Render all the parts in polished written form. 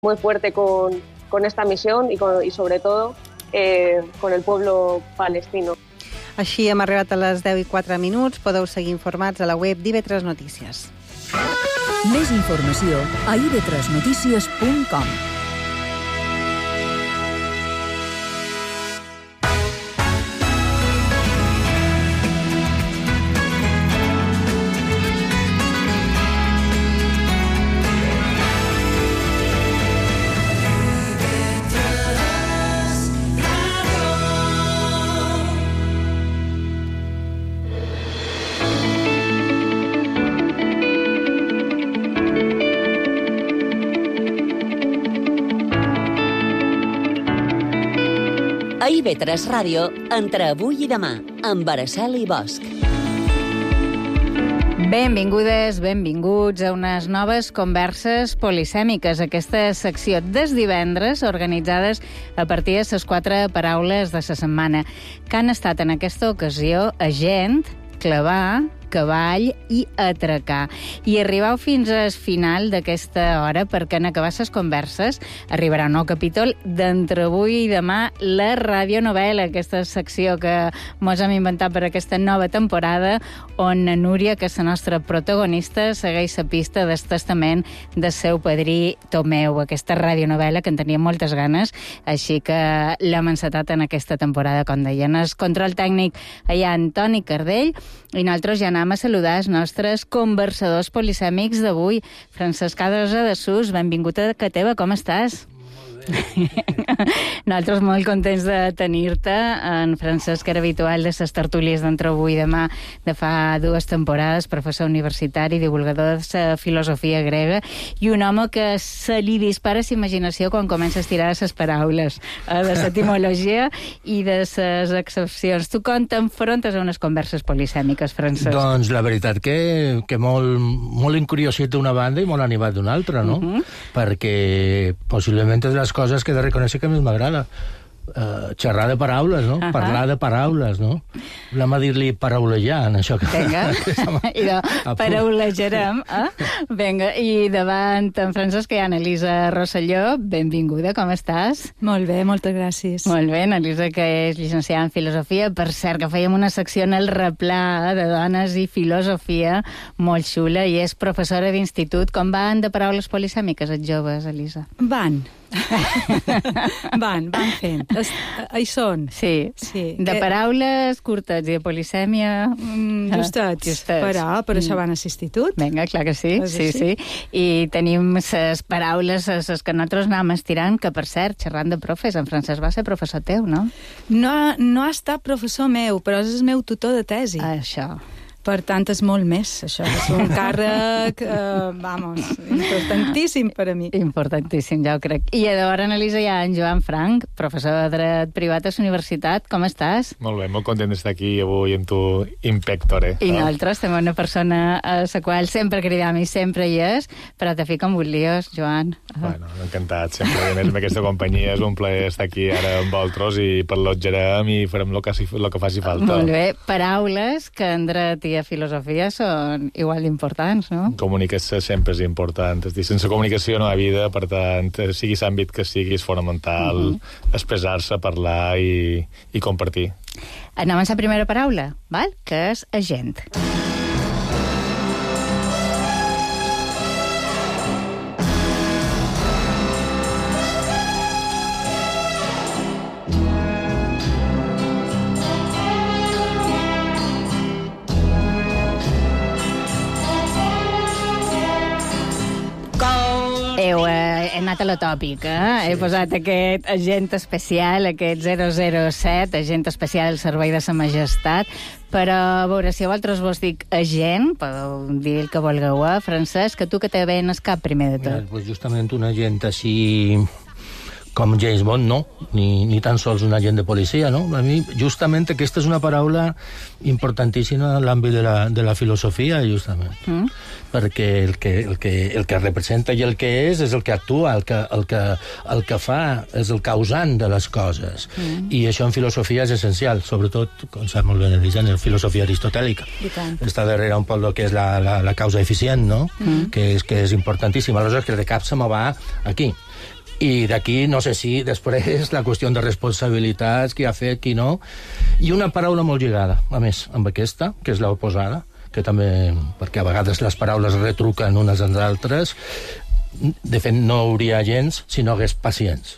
muy fuerte con esta misión y sobre todo con el pueblo palestino. Així hem arribat a les 10:04. Podeu seguir informats a la web d'IV3 Notícies. Més informació a ib3notícies.com. A IB3 Ràdio, entre avui i demà, amb Araceli Bosch. Benvingudes, benvinguts a unes noves converses polisèmiques. Aquesta secció des divendres, organitzades a partir de les 4 paraules de la setmana, que han estat en aquesta ocasió agent, clavar, cavall i atracar. I arribau fins al final d'aquesta hora, perquè en acabar les converses arribarà un nou capítol d'entre avui i demà, la radionovel·la, aquesta secció que mos hem inventat per aquesta nova temporada, on Núria, que és la nostra protagonista, segueix la pista del testament del seu padrí Tomeu, aquesta radionovel·la que en tenia moltes ganes, així que l'hem encetat en aquesta temporada, com deien. El control tècnic hi ha Antoni Cardell, i nosaltres ja anem a saludar els nostres conversadors polisèmics d'avui. Francesc Adrosa de Sus, benvingut a casa teva, com estàs? Nosaltres molt contents de tenir-te. En Francesc era habitual de les tertúlies d'entre avui i demà de fa 2 temporades, professor universitari, divulgador de la filosofia grega, i un home que se li dispara la imaginació quan comença a estirar les paraules de l'etimologia i de les excepcions. Tu com t'enfrontes a unes converses polisèmiques, Francesc? Doncs la veritat que molt incuriositat d'una banda i molt animat d'una altra, no? Perquè possiblement és les coses que he de reconèixer que més m'agrada. Xerrar de paraules, no? Parlar de paraules, no? Anem a dir-li paraulejar, en això que... Vinga, i paraulejarem, Vinga, i davant en Francesc hi ha Elisa Rosselló. Benvinguda, com estàs? Molt bé, moltes gràcies. Molt bé, Elisa, que és llicenciada en filosofia. Per cert, que fèiem una secció en el replà de dones i filosofia molt xula, i és professora d'institut. Com van de paraules polisèmiques els joves, Elisa? Van fent. Hi són. Sí. De paraules curtes i de polisèmia... Justets. Però això van a l'institut. Vinga, clar que sí. Sí. I tenim les paraules, les que nosaltres anàvem estirant, que, per cert, xerrant de profes, en Francesc va ser professor teu, no? No ha estat professor meu, però és el meu tutor de tesi. Això. Per tant, és molt més, això. És un càrrec, importantíssim per a mi. Importantíssim, ja ho crec. I llavors, Elisa, hi ha en Joan Frank, professor de dret privat a la universitat. Com estàs? Molt bé, molt content d'estar aquí avui amb tu, in pectore. I nosaltres tenim una persona a la qual sempre cridam i sempre hi és, però te fica amb un líos, Joan. Bueno, encantat, sempre. A més, amb aquesta companyia és un plaer estar aquí ara amb vosaltres i parlotgerem i farem el que faci falta. Molt bé. Paraules que en dret i a filosofia són igual d'importants, no? Comunicació sempre és important. És dir, sense comunicació no hi ha vida, per tant, sigui l'àmbit que sigui, és fonamental expressar-se, parlar i compartir. Anem a la primera paraula, val? Que és agent. He anat a la tòpica, he posat aquest agent especial, aquest 007, agent especial del Servei de sa Majestat, però a veure, si a vosaltres vos dic agent, podeu dir el que vulgueu, Francesc, que tu que te ve en el cap primer de tot. Mira, pues justament un agent així com James Bond, no, ni tan sols un agent de policia, no? A mi, justament, aquesta és una paraula importantíssima en l'àmbit de la filosofia, justament. Perquè el que representa i el que és el que actua, el que fa, és el causant de les coses. I això en filosofia és essencial, sobretot, com sap molt bé Elisa, en la filosofia aristotèlica. Està darrere un poc el que és la causa eficient, no? Que és importantíssima. Aleshores, que el de cap se me va aquí. I d'aquí, no sé si després la qüestió de responsabilitats, qui ha fet, qui no, i una paraula molt lligada, a més, amb aquesta, que és l'oposada, que també, perquè a vegades les paraules retruquen unes amb altres, de fet no hauria gens si no hagués pacients.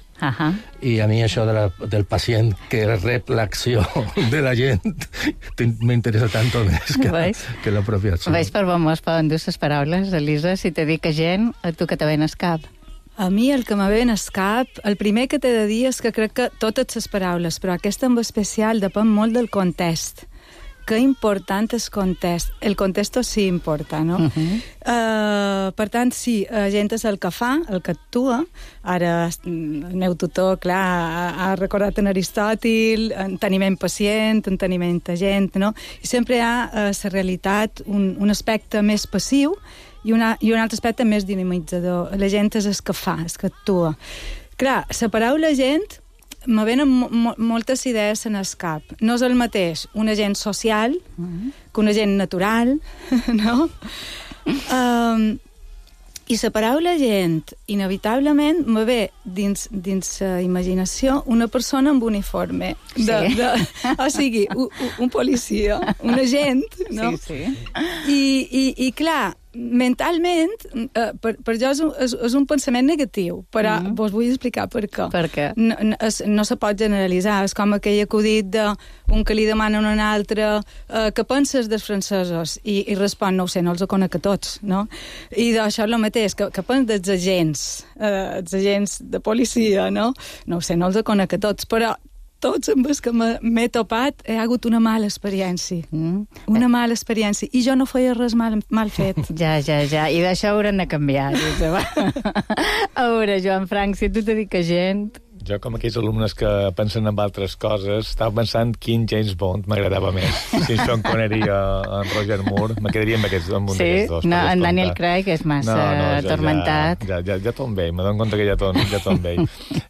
I a mi això del pacient que rep l'acció de la gent m'interessa tant o més que la pròpia acció. Veus per on es poden dur les paraules, Elisa? Si te dic gent, a tu que te ven al cap? A mi el que me ve al cap, el primer que t'he de dir és que crec que totes les paraules, però aquesta en especial depèn molt del context. Que important és context. El context sí importa, no? Per tant, sí, gent és el que fa, el que actua. Ara el meu tutor, clar, ha recordat en Aristòtil, enteniment pacient, enteniment agent, no? I sempre hi ha la realitat, un aspecte més passiu i un altre aspecte més dinamitzador. La gent és el que fa, el que actua. Clar, la paraula gent me venen moltes idees en el cap. No és el mateix un agent social que un agent natural, no? I la paraula gent, inevitablement, me ve dins la imaginació una persona amb uniforme. O sigui, un policia, un agent, no? I clar, mentalment, per jo és un pensament negatiu, però vos vull explicar per què. Per què? No se pot generalitzar. És com aquell acudit d'un que li demanen a un altre què penses dels francesos? I respon, no ho sé, no els conec a tots, no? I d'això és el mateix, què penses dels agents de policia, no? No ho sé, no els conec a tots, però tots amb els que m'he topat he hagut una mala experiència. Una mala experiència. I jo no feia res mal fet. Ja. I d'això haurem de canviar. A veure, Joan Frank, si tu te dic que gent... Jo, com aquells alumnes que pensen en altres coses, estava pensant quin James Bond m'agradava més. Si Sean Connery o en Roger Moore, me quedaria amb un d'aquests dos. No, en Daniel Craig és massa atormentat. Ja tot vell, me dono compte que ja tot vell.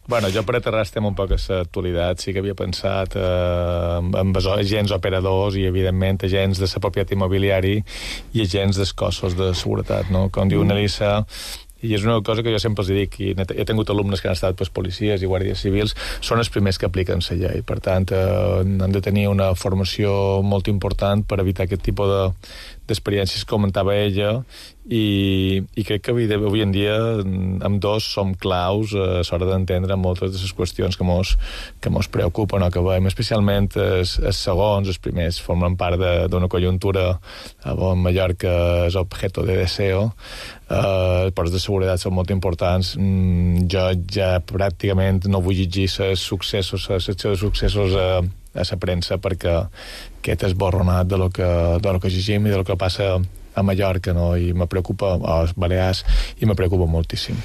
Bueno, jo per aterrar estem un poc a l'actualitat, sí que havia pensat en agents operadors i, evidentment, agents de la propietat immobiliari i agents dels cossos de seguretat, no? Com diu Elisa, i és una cosa que jo sempre els dic, i he tingut alumnes que han estat policies i guàrdies civils, són els primers que apliquen la llei. Per tant, han de tenir una formació molt important per evitar aquest tipus d'experiències que comentava ella, i crec que avui en dia ambdós som claus a l'hora d'entendre moltes de les qüestions que mos preocupen o que veiem, especialment els segons, els primers, formen part d'una conjuntura on Mallorca és objeto de deseo. Els ports de seguretat són molt importants. Jo ja pràcticament no vull llegir els successos, la secció de successos a la premsa, perquè aquest esborronat de lo que llegim i de lo que passa a Mallorca, no? I me preocupa, a Balears, i me preocupa moltíssim.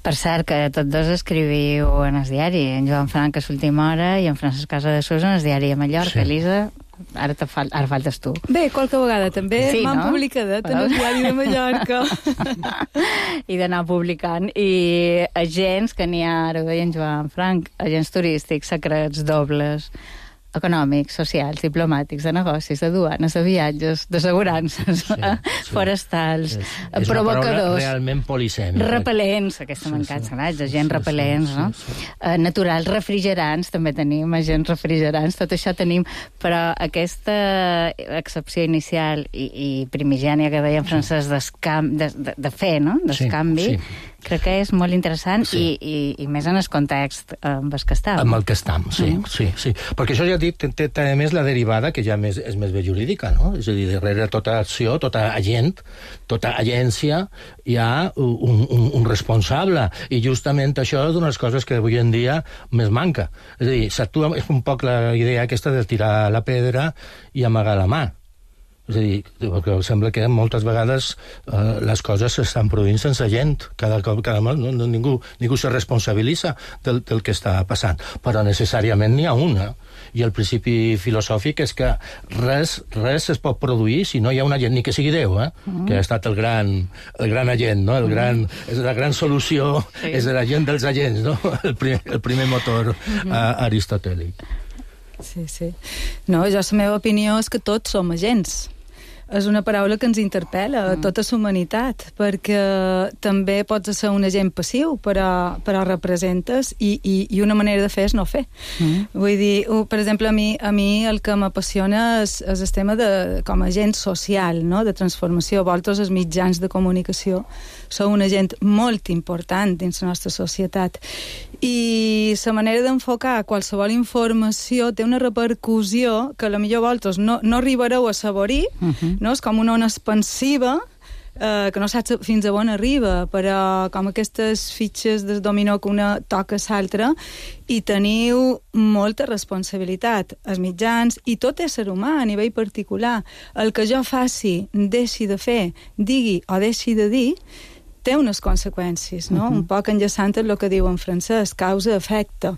Per cert, que tots dos escriviu en el diari, en Joan Frank a l'última hora i en Francesc Casadesús en el diari a Mallorca. Elisa, ara faltes tu. Bé, qualque vegada també m'han publicat en el diari de Mallorca. I d'anar publicant. I agents, que n'hi ha, ara ho deia en Joan Frank, agents turístics, secrets, dobles, econòmics, socials, diplomàtics, de negocis, de duanes, de viatges, d'assegurances, forestals, és provocadors... una paraula realment polisèmica. Repel·lents, aquesta m'encanta, agents repel·lents, no? Naturals, refrigerants, també tenim, agents refrigerants, tot això tenim, però aquesta excepció inicial i primigènia que deia en francès de fer, no?, d'escanvi, crec que és molt interessant i més en el context amb el que estàvem. Amb el que estem, sí. Perquè això ja dit, té a més la derivada, que ja és més bé jurídica, no? És a dir, darrere tota acció, tota agent, tota agència, hi ha un responsable. I justament això és una de les coses que avui en dia més manca. És a dir, s'actua, és un poc la idea aquesta de tirar la pedra i amagar la mà. És a dir, perquè sembla que moltes vegades les coses s'estan produint sense gent. Cada ningú se responsabilitza del que està passant. Però necessàriament n'hi ha una. I el principi filosòfic és que res es pot produir si no hi ha un agent, ni que sigui Déu, que ha estat el gran agent, no? És la gran solució, és l'agent dels agents, no? El primer motor aristotèlic. Sí. No, jo la meva opinió és que tots som agents. és una paraula que ens interpel·la a tota la humanitat, perquè també pots ser un agent passiu, però representes, i una manera de fer és no fer. Vull dir, per exemple, a mi el que m'apassiona és el tema com a agent social, no? De transformació. Vosaltres, els mitjans de comunicació, sou un agent molt important dins la nostra societat. I la manera d'enfocar qualsevol informació té una repercussió que potser vosaltres no arribareu a saborir, no? És com una ona expansiva, que no saps fins a on arriba, però com aquestes fitxes del dominó que una toca l'altra, i teniu molta responsabilitat, els mitjans, i tot ésser humà a nivell particular. El que jo faci, deixi de fer, digui o deixi de dir, té unes conseqüències, no? Un poc enllaçant el que diu en francès, causa-efecte.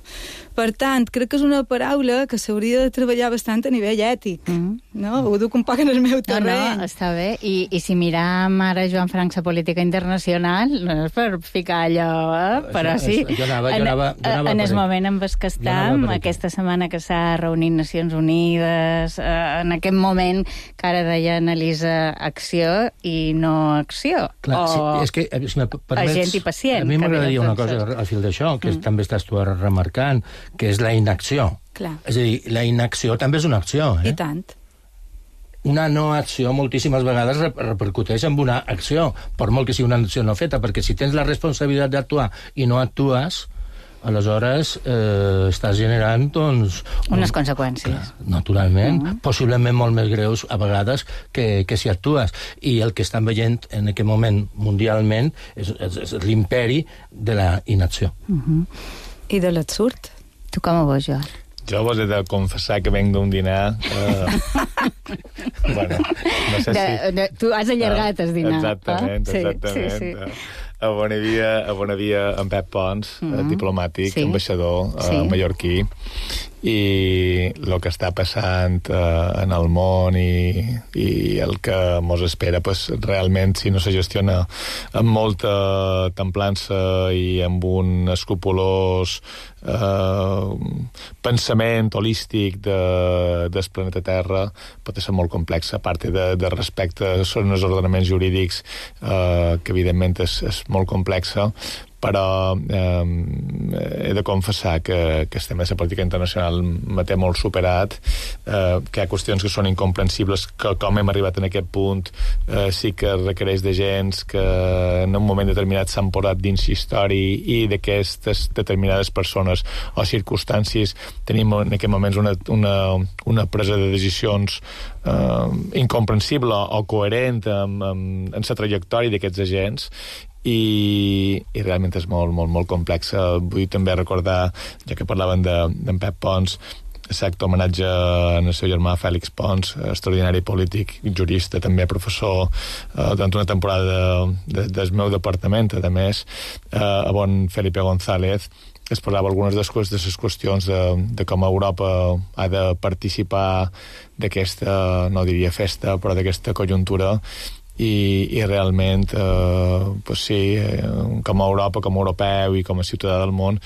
Per tant, crec que és una paraula que s'hauria de treballar bastant a nivell ètic, no? Ho duc un poc en el meu terreny. No, està bé. I si miram ara, Joan Frank, la política internacional, no és per ficar allò, però sí. En el moment en què estem, aquesta setmana que s'ha reunit Nacions Unides, en aquest moment que ara deia Elisa, acció i no acció. Clar, és que si me permets, agent i pacient. A mi m'agradaria una cosa al fil d'això, que també estàs tu remarcant, que és la inacció. Clar. És a dir, la inacció també és una acció. I tant. Una no acció moltíssimes vegades repercuteix en una acció, per molt que sigui una acció no feta, perquè si tens la responsabilitat d'actuar i no actues, aleshores estàs generant, doncs... unes conseqüències. Clar, naturalment, possiblement molt més greus a vegades que si actues. I el que estan veient en aquest moment mundialment és l'imperi de la inacció. I de l'absurd. Tu com ho veus, Joan? Jo vos he de confessar que venc d'un dinar... bueno, no sé si... Tu has allargat el dinar. Exactament. Sí. A on hi havia en Pep Pons, diplomàtic, ambaixador mallorquí, i el que està passant en el món i el que mos espera, pues, realment, si no se gestiona amb molta templança i amb un escrupolós pensament holístic del planeta Terra, pot ser molt complex, a part de respecte són els ordenaments jurídics, que evidentment és molt complexa, però he de confessar que el tema de la política internacional me té molt superat, que hi ha qüestions que són incomprensibles, que com hem arribat en aquest punt sí que requereix de gens que en un moment determinat s'han posat dins història i d'aquestes determinades persones o circumstàncies tenim en aquests moments una presa de decisions incomprensible o coherent amb la trajectòria d'aquests agents, i realment és molt, molt, molt complex. Vull també recordar, ja que parlaven d'en Pep Pons, l'acte homenatge al seu germà Fèlix Pons, extraordinari polític, jurista, també professor durant una temporada del meu departament, a més, a bon Felipe González, es parlava algunes de les qüestions de com Europa ha de participar d'aquesta, no diria festa, però d'aquesta conjuntura, i realment pues sí, com a Europa, com a europeu i com a ciutadà del món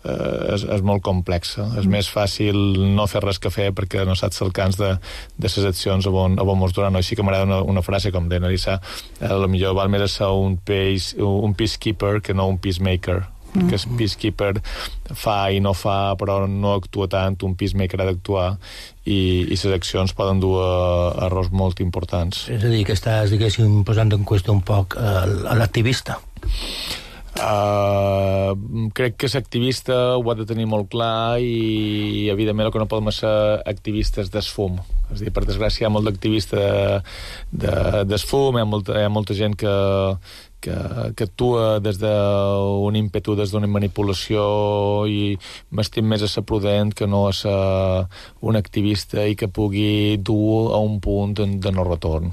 és molt complexa. És més fàcil no fer res que fer perquè no saps el cans de les accions on mos duran. Així que m'agrada una frase com de Narissa, potser val més ser un peacekeeper que no un peacemaker, que el peacekeeper fa i no fa, però no actua tant, un peacemaker ha d'actuar, i les accions poden dur a errors molt importants. És a dir, que estàs, diguéssim, posant en qüestió un poc a l'activista. Crec que l'activista ho ha de tenir molt clar i evidentment el que no podem ser activistes d'esfum. És a dir, per desgràcia hi ha molt d'activista d'esfum, hi ha molta gent que actua des d'un ímpetu, des d'una manipulació, i m'estim més a ser prudent que no a ser un activista i que pugui dur a un punt de no retorn.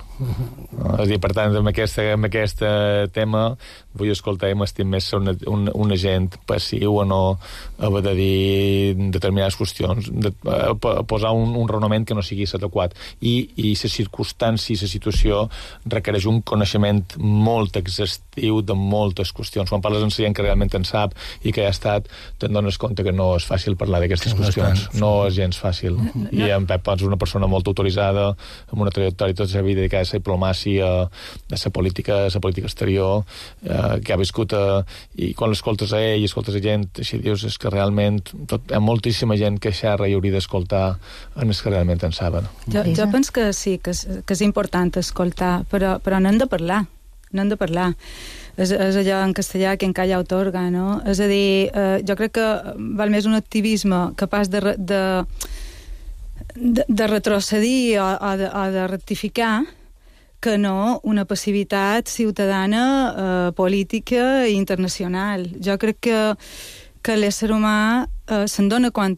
És a dir, per tant, amb aquest tema vull escoltar i m'estim més ser un agent passiu o no haver de dir determinades qüestions, posar un raonament que no sigui adequat. I la circumstància i la situació requereix un coneixement molt exhaustiu exhaustiu de moltes qüestions. Quan parles amb gent que realment en sap i que ja ha estat, te'n dones compte que no és fàcil parlar d'aquestes qüestions. No és gens fàcil. I en Pep Pons és una persona molt autoritzada, amb una trajectòria tota la vida dedicada a la diplomàcia, a la política exterior, que ha viscut i quan l'escoltes a ell i escoltes a gent, així dius, és que realment hi ha moltíssima gent que xerra i hauria d'escoltar en els que realment en saben. Jo penso que sí, que és important escoltar, però n'hem de parlar. És allò en castellà que en calla otorga, no? És a dir, jo crec que val més un activisme capaç de retrocedir o de rectificar que no una passivitat ciutadana, política i internacional. Jo crec que l'ésser humà se'n dona compte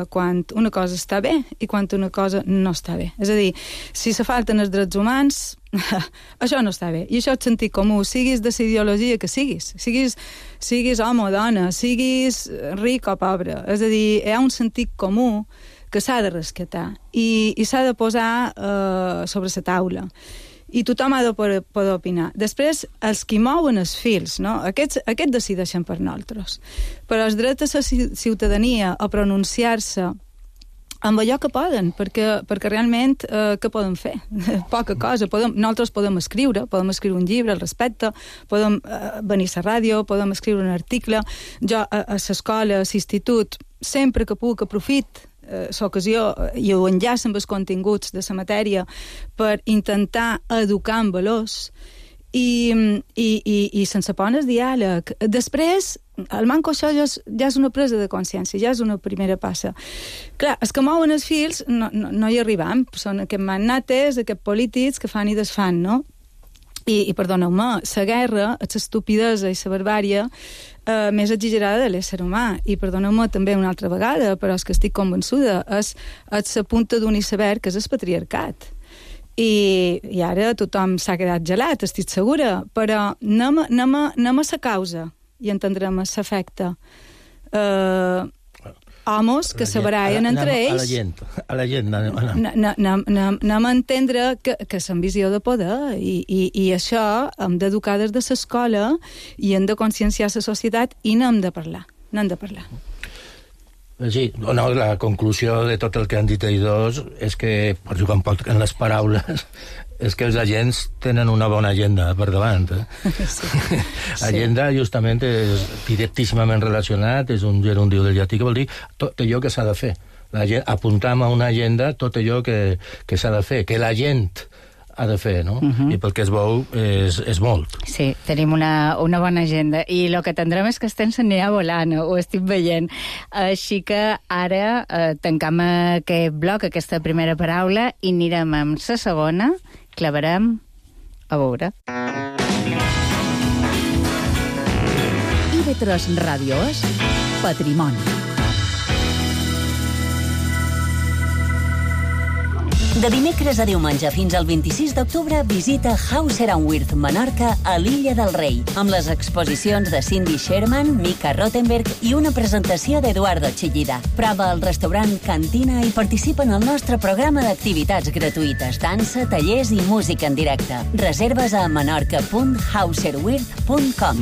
quan una cosa està bé i quan una cosa no està bé. És a dir, si se falten els drets humans, això no està bé. I això és sentit comú, siguis de la ideologia que siguis. Siguis home o dona, siguis ric o pobre. És a dir, hi ha un sentit comú que s'ha de rescatar i s'ha de posar sobre la taula. I tothom ha de poder opinar. Després, els que mouen els fils, no? Aquests decideixen per nosaltres. Però els drets de la ciutadania a pronunciar-se amb allò que poden, perquè realment què podem fer? Poca cosa. Nosaltres podem escriure un llibre al respecte, podem venir a la ràdio, podem escriure un article. Jo a l'escola, a l'institut, sempre que puc aprofit l'ocasió i ho enllaça amb els continguts de la matèria per intentar educar en valors i sense por el diàleg. Després, el manco això ja és una presa de consciència, ja és una primera passa. Clar, els que mouen els fils no hi arribam, són aquests magnates, aquests polítics que fan i desfan, no? I perdoneu-me, la guerra, l'estupidesa i la barbària més exagerada de l'ésser humà. I perdoneu-me també una altra vegada, però és que estic convençuda, és la punta d'un iceberg, que és el patriarcat. I ara tothom s'ha quedat gelat, estic segura, però anem a la causa i entendrem l'efecte. Homes que se barallen entre ells. A la gent. Anem a entendre que és ambició de poder i això hem d'educar des de l'escola i hem de conscienciar la societat i n'hem de parlar. Sí, no, la conclusió de tot el que han dit ells dos és que, per jugar un poc en les paraules, és que els agents tenen una bona agenda per davant. Sí. Agenda, justament, és directíssimament relacionat, és un gerundiu del llatí que vol dir tot allò que s'ha de fer. Apuntam a una agenda tot allò que s'ha de fer, que la gent ha de fer, no? I pel que es veu és molt. Sí, tenim una bona agenda. I el que tindrem és que estem s'anirà volant, ho estic veient. Així que ara tancam aquest bloc, aquesta primera paraula, i anirem amb la segona, clavarem a veure. IB3 Ràdio és Patrimoni. De dimecres a diumenge fins al 26 d'octubre visita Hauser & Wirth Menorca a l'Illa del Rei, amb les exposicions de Cindy Sherman, Mika Rottenberg i una presentació d'Eduardo Chillida. Prova al restaurant Cantina i participa en el nostre programa d'activitats gratuïtes, dansa, tallers i música en directe. Reserves a menorca.hauserwirth.com.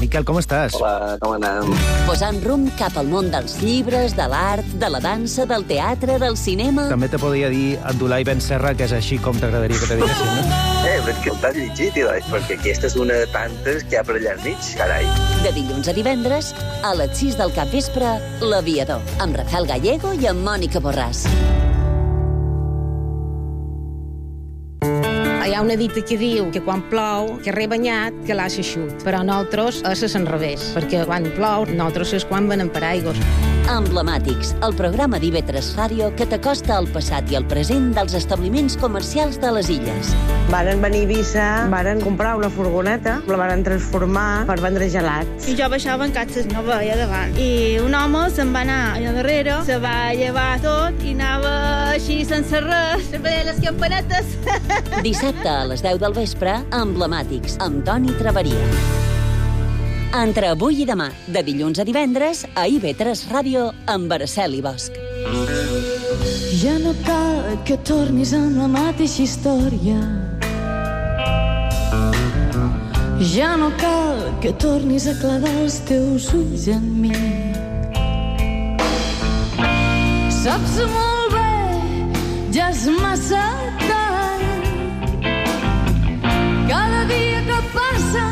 Miquel, com estàs? Hola, com anem? Posant rumb cap al món dels llibres, de l'art, de la dansa, del teatre, del cinema... També te podria dir Abdulai Ben Serra, que és així com t'agradaria que te diguessin, no? Però és que t'has llegit, perquè aquesta és una de tantes que hi ha per allà al mig, carai. De dilluns a divendres, a les 6 del capvespre, L'Aviador, amb Rafael Gallego i amb Mònica Borràs. Hi ha una dita que diu que quan plou, que rebanyat, que l'ha eixut. Però nosaltres és l'enrevés, perquè quan plou, nosaltres és quan venem per aigües. Emblemàtics, el programa d'IB3 Ràdio que t'acosta al passat i al present dels establiments comercials de les illes. Varen venir a Eivissa, varen comprar una furgoneta, la varen transformar per vendre gelats. I jo baixava en catxes, no veia davant. I un home se'n va anar allà darrere, se va llevar tot i anava així sense res, se veia les campanetes. Dissabte a les 10 del vespre, Emblemàtics, amb Toni Traveria. Entre avui i demà, de dilluns a divendres, a IB3 Ràdio, amb Araceli Bosch. Ja no cal que tornis amb la mateixa història. Ja no cal que tornis a clavar els teus ulls en mi. Saps molt bé, ja és massa tard. Cada dia que passa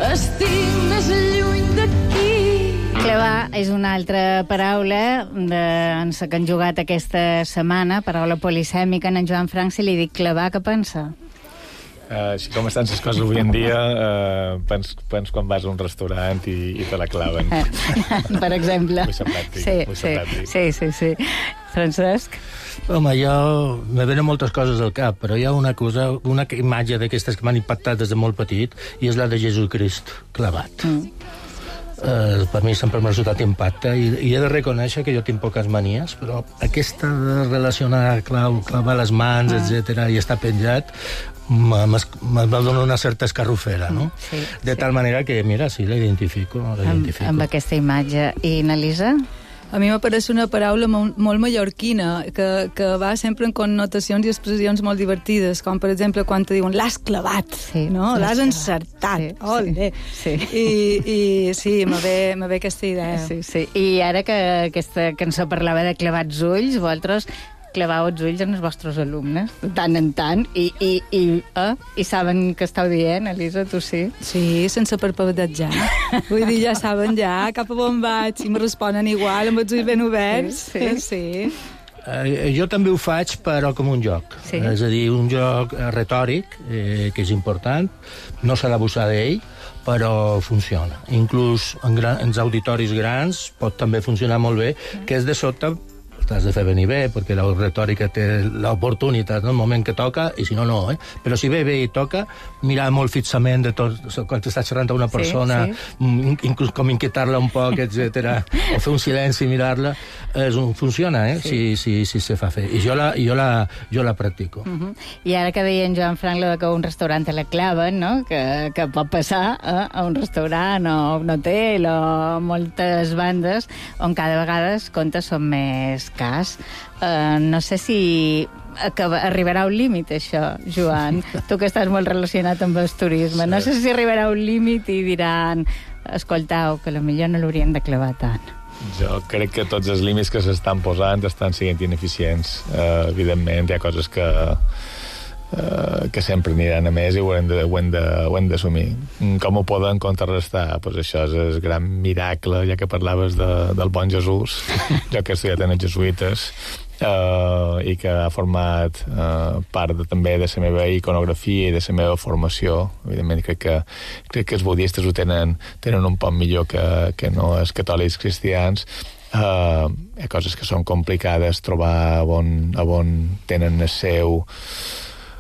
estic més lluny d'aquí. Clavar és una altra paraula en la que han jugat aquesta setmana, paraula polisèmica. En Joan Frank, si li dic clavar, què pensa? Així com estan les coses avui en dia, pens quan vas a un restaurant i te la claven. Per exemple. Vull ser pràctic. Sí. Francesc? Home, me venen moltes coses al cap, però hi ha una imatge d'aquestes que m'han impactat des de molt petit, i és la de Jesucrist clavat. Per mi sempre m'ha resultat impacte, i he de reconèixer que jo tinc poques manies, però aquesta de relacionar clavar les mans, etc., i estar penjat, me dona una certa escarrufera, no? Sí, de tal manera que, mira, sí, la identifico. Amb aquesta imatge. I n'Elisa? A mi m'apareix una paraula molt mallorquina, que va sempre en connotacions i expressions molt divertides, com per exemple quan te diuen l'has clavat, no? L'has encertat. Olé! I sí, me ve aquesta idea. Sí. I ara que aquesta cançó parlava de clavats ulls, vosaltres clavau els ulls en els vostres alumnes, de tant en tant, i saben què esteu dient, Elisa, tu sí? Sí, sense parpadejar. Vull dir, ja saben cap a on vaig, i me responen igual, amb els ulls ben oberts. Sí. Jo també ho faig, però com un joc. És a dir, un joc retòric, que és important, no s'ha d'abusar d'ell, però funciona. Inclús en auditoris grans pot també funcionar molt bé, que és de sobte t'has de fer venir bé, perquè la retòrica té l'oportunitat, no? El moment que toca, i si no, no. Però si ve i toca, mirar molt fixament de tot, quan t'estàs xerrant a una persona, inclús com inquietar-la un poc, etc. O fer un silenci i mirar-la, funciona, si se fa fer. I jo la practico. I ara que deia en Joan Frank que un restaurant te la claven, no? Que pot passar a un restaurant o un hotel o moltes bandes on cada vegada els comptes són més cas. No sé si arribarà a un límit, això, Joan. Tu que estàs molt relacionat amb el turisme. No sé si arribarà a un límit i diran escoltau, que potser no l'haurien de clavar tant. Jo crec que tots els límits que s'estan posant estan sent ineficients. Evidentment, hi ha coses que sempre aniran a més i ho hem d'assumir. Com ho poden contrarrestar? Pues això és el gran miracle, ja que parlaves del bon Jesús, jo que he estudiat en els jesuïtes, i que ha format part també de la meva iconografia i de la meva formació. Evidentment, crec que els budistes ho tenen un poc millor que no els catòlics cristians. Hi ha coses que són complicades, trobar on tenen el seu...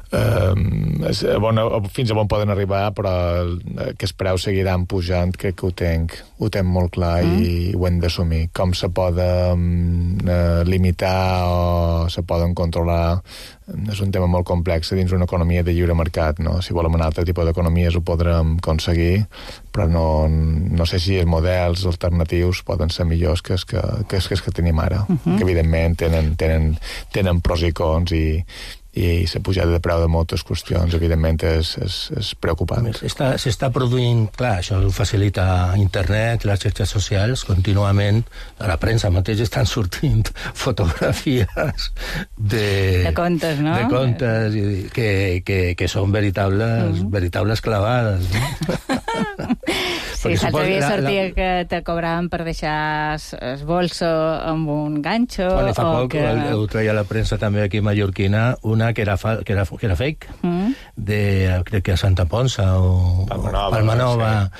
fins a on poden arribar, però que els preus seguiran pujant, crec que ho tenc molt clar i ho hem d'assumir. Com se poden limitar o se poden controlar és un tema molt complex dins una economia de lliure mercat, no? Si volem un altre tipus d'economies ho podrem aconseguir, però no sé si els models alternatius poden ser millors que els que tenim ara, que evidentment tenen pros i cons, i la pujada de preu de moltes qüestions, evidentment, és preocupant. S'està produint, clar, això ho facilita internet, les xarxes socials, contínuament, a la premsa mateix estan sortint fotografies de contes, no? De contes, que són veritables clavades, no? Sí, l'altre dia sortia que te cobraven per deixar el bolso amb un ganxo. Quan fa poc ho treia la premsa també aquí mallorquina, una que era fake, crec que a Santa Ponsa o Palmanova,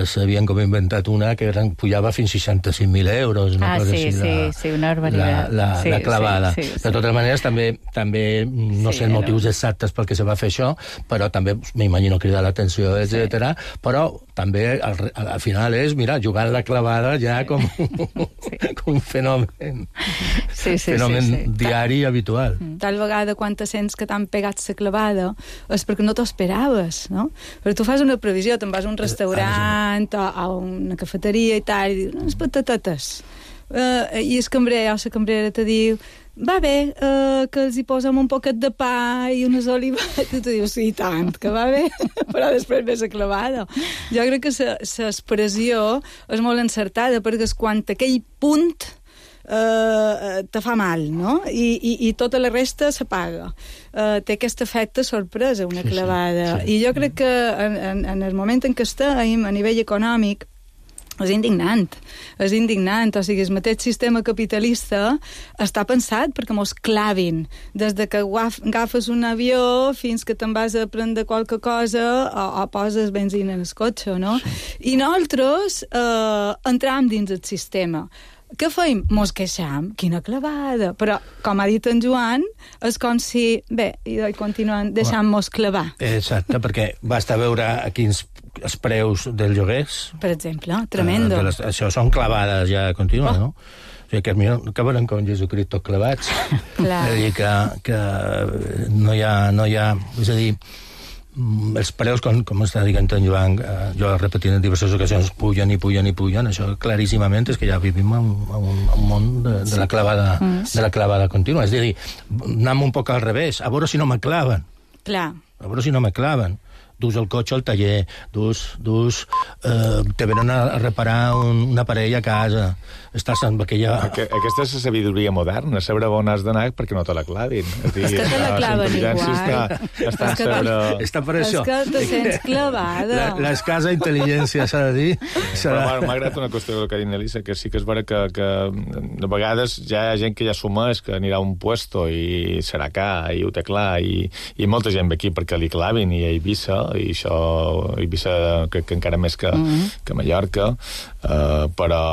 s'havien com inventat una que pujava fins a 65.000 euros. Sí, una barbaritat. La clavada. De totes maneres, també no sé els motius exactes pel que se va fer això, però també m'imagino cridar l'atenció, etc. Però també al final és, mira, jugar a la clavada ja com un fenomen diari i habitual. Tal vegada quan te sents que t'han pegat la clavada és perquè no t'ho esperaves, no? Però tu fas una previsió, te'n vas a un restaurant o a una cafeteria i tal, i dius, unes patatetes. I el cambrer o la cambrera te diu, va bé que els hi posem un poquet de pa i unes olivetes, i tu dius, sí, tant, que va bé, però després ves a clavada. Jo crec que l'expressió és molt encertada, perquè és quan aquell punt te fa mal, no? I tota la resta s'apaga. Té aquest efecte sorpresa, una clavada. I jo crec que en el moment en què estem, a nivell econòmic, és indignant. O sigui, el mateix sistema capitalista està pensat perquè mos clavin. Des de que agafes un avió fins que te'n vas a prendre qualque cosa o poses benzina en el cotxe, no? I nosaltres entram dins el sistema. Què feim? Mos queixam. Quina clavada. Però, com ha dit en Joan, és com si, bé, i continuen deixant-mos clavar. Exacte, perquè basta veure quins els preus dels lloguers. Per exemple, tremendo. Això són clavades ja contínues, no? O sigui, que millor acabaran com Jesucrist tots clavats. Clar. És a dir, que no hi ha... És a dir, els preus, com està dient en Joan, jo he repetit en diverses ocasions, pugen, això claríssimament és que ja vivim en un món de la clavada contínua. És a dir, anem un poc al revés, a veure si no me claven. Clar. A veure si no me claven. Dus el cotxe al taller, te venen a reparar un aparell a casa, estàs amb aquella... Aquesta és la sabidoria moderna, saber on has d'anar perquè no te la clavin. És que te la claven igual. Està per això. És que te sents clavada. L'escasa intel·ligència, s'ha de dir. Però m'ha agradat una qüestió que ha dit Elisa, que sí que és vera que de vegades ja hi ha gent que ja assumeix que anirà a un puesto i serà car, i ho té clar, i molta gent ve aquí perquè li clavin, i a Eivissa, i això Eivissa crec que encara més que Mallorca, però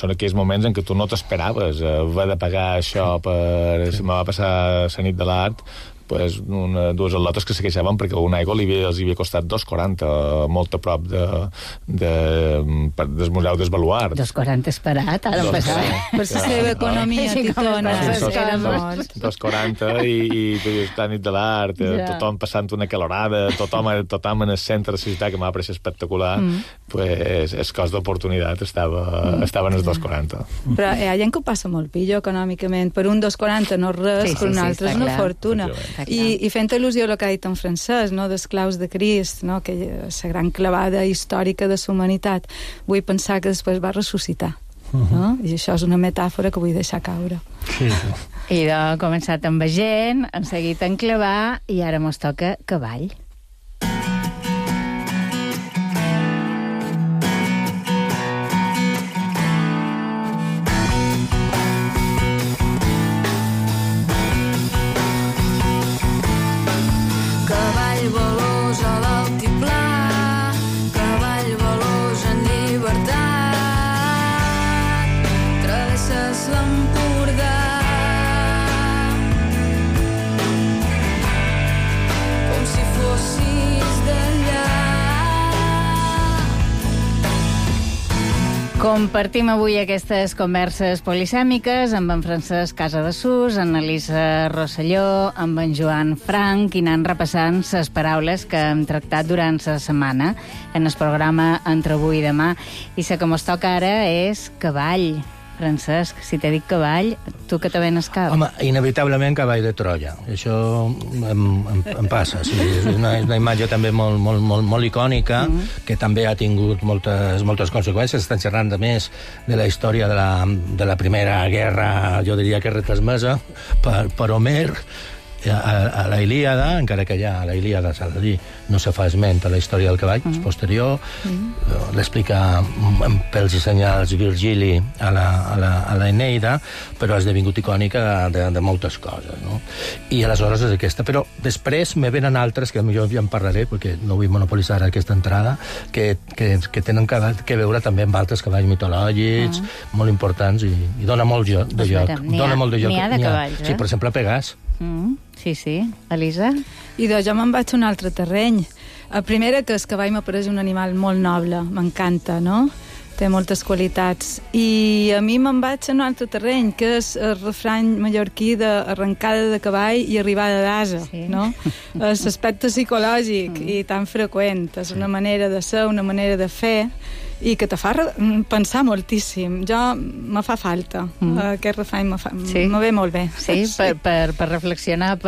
són aquells moments en què tu no t'esperaves haver de pagar això me va passar la nit de l'art, dues al·lotes que se queixaven perquè una aigua els havia costat 2,40, molt a prop del Museu del Baluard. 2,40 esperat, ara passat. Per la seva economia titona. 2,40 i la nit de l'art, tothom passant una calorada, tothom en el centre de la ciutat, que m'ha pareixet espectacular, el cost d'oportunitat estava en els 2,40. Però hi ha gent que ho passa molt pillo econòmicament. Per un 2,40 no res, per un altre és una fortuna. I fent al·lusió a el que ha dit en Francesc, no, d'esclaus de Crist, no, que la gran clavada històrica de la humanitat, vull pensar que després va ressuscitar. No? I això és una metàfora que vull deixar caure. I ha començat amb gent, han seguit en clavar, i ara mos toca cavall. Compartim avui aquestes converses polisèmiques amb en Francesc Casadesús, en Elisa Rosselló, amb en Joan Frank, i anant repassant les paraules que hem tractat durant la setmana en el programa Entre avui i demà. I la que mos toca ara és cavall. Francesc, si t'he dit cavall, tu que te venes cap? Home, inevitablement cavall de Troia. Això em passa. Sí. És una imatge també molt icònica, que també ha tingut moltes conseqüències. Estan xerrant, a més, de la història de la Primera Guerra, jo diria que retransmesa per Homer, a la Ilíada, encara que ja a la Ilíada, s'ha de dir, no se fa esment a la història del cavall, és posterior, l'explica pels i senyals Virgili a la Eneida, però ha esdevingut icònica de moltes coses, no? I aleshores és aquesta. Però després me venen altres, que potser ja en parlaré, perquè no vull monopolitzar aquesta entrada, que tenen que veure també amb altres cavalls mitològics, molt importants, i dona molt de joc. N'hi ha de cavalls, Sí, per exemple, Pegàs. Sí. Elisa? I jo me'n vaig a un altre terreny. La primera, que el cavall m'apareix un animal molt noble, m'encanta, no? Té moltes qualitats. I a mi me'n vaig a un altre terreny, que és el refrany mallorquí d'arrencada de cavall i arribada d'ase, no? L'aspecte psicològic i tan freqüent. És una manera de ser, una manera de fer, i que te fa pensar moltíssim. Me fa falta. Aquest refany me ve molt bé. Sí, per reflexionar,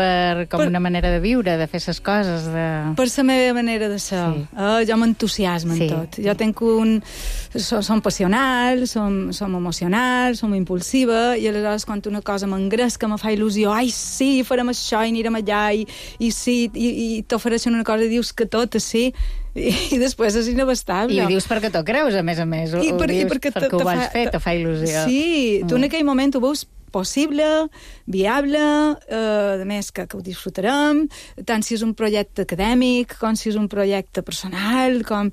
com una manera de viure, de fer ses coses. Per la meva manera de ser. Jo m'entusiasmo en tot. Jo tenc som passional, som emocional, som impulsiva, i aleshores quan una cosa m'engresca, me fa il·lusió, ai, sí, farem això i anirem allà, i sí, i t'ofereixen una cosa i dius que tot és sí, i després és inabastable. I ho dius perquè t'ho creus, a més a més. Ho dius perquè ho vas fer, te fa il·lusió. Sí, tu en aquell moment ho veus possible, viable, a més que ho disfrutarem, tant si és un projecte acadèmic, com si és un projecte personal, com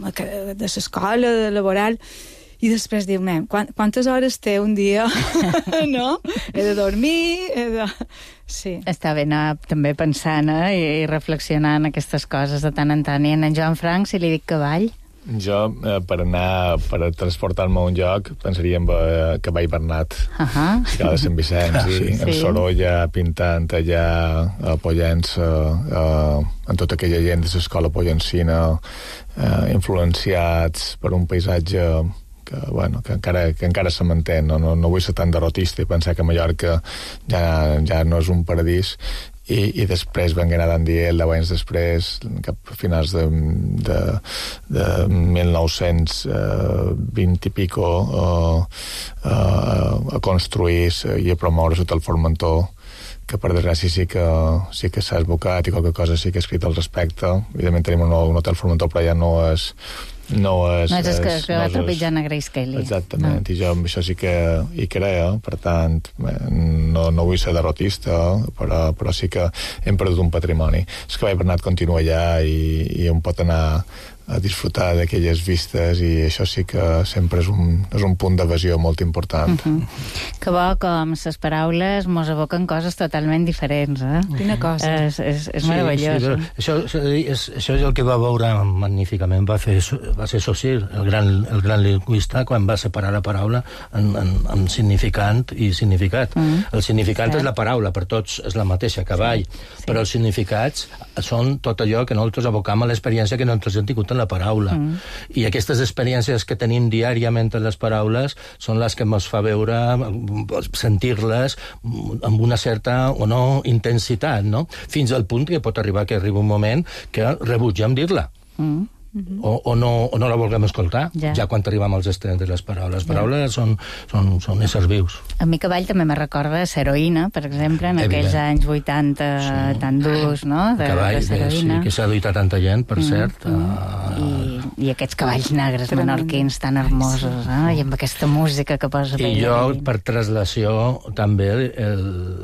de l'escola, de laboral. I després diu, quantes hores té un dia? No? He de dormir, Sí. Està bé anar també pensant i reflexionant aquestes coses de tant en tant. I en Joan Frank, si li dic cavall? Jo, per transportar-me a un lloc, pensaria en Cavall Bernat, que de Sant Vicenç, i en Sorolla, pintant allà, apoyant-se en tota aquella gent de l'escola pollancina, influenciats per un paisatge que encara se manté. No vull ser tan derrotista i pensar que Mallorca ja no és un paradís, i després vengué anar d'Andiel 10 anys després, cap a finals de 1920 i pico, a construir i a promoure sota el Formentor, que per desgràcia sí que s'ha esbocat i qualque cosa sí que ha escrit al respecte. Evidentment tenim un hotel Formentor, però ja no és que va trepitjant a Grace Kelly. Exactament, i jo amb això sí que hi creo, per tant no vull ser derrotista, però sí que hem perdut un patrimoni. És que Cavall Bernat continua allà i on pot anar a disfrutar d'aquelles vistes, i això sí que sempre és un punt d'evasió molt important. Que bo com les paraules mos evoquen coses totalment diferents, Quina cosa. És meravellós. Això és el que va veure magníficament, va ser Saussure, el gran lingüista, quan va separar la paraula en significant i significat. El significant és la paraula, per tots és la mateixa, cavall, però els significats són tot allò que nosaltres abocam a l'experiència que nosaltres hem tingut en la paraula. I aquestes experiències que tenim diàriament en les paraules són les que ens fa veure, sentir-les amb una certa o no intensitat, no? Fins al punt que pot arribar un moment que rebutgem dir-la. O no la vulguem escoltar, ja quan arribem als extrems de les paraules. Les paraules són éssers vius. A mi Cavall també me recorda Heroïna, per exemple, en aquells anys 80 tan durs, no? Cavall, que s'ha duit a tanta gent, per cert. I aquests cavalls negres menorquins tan hermosos, i amb aquesta música que posa... I jo, per traslació, també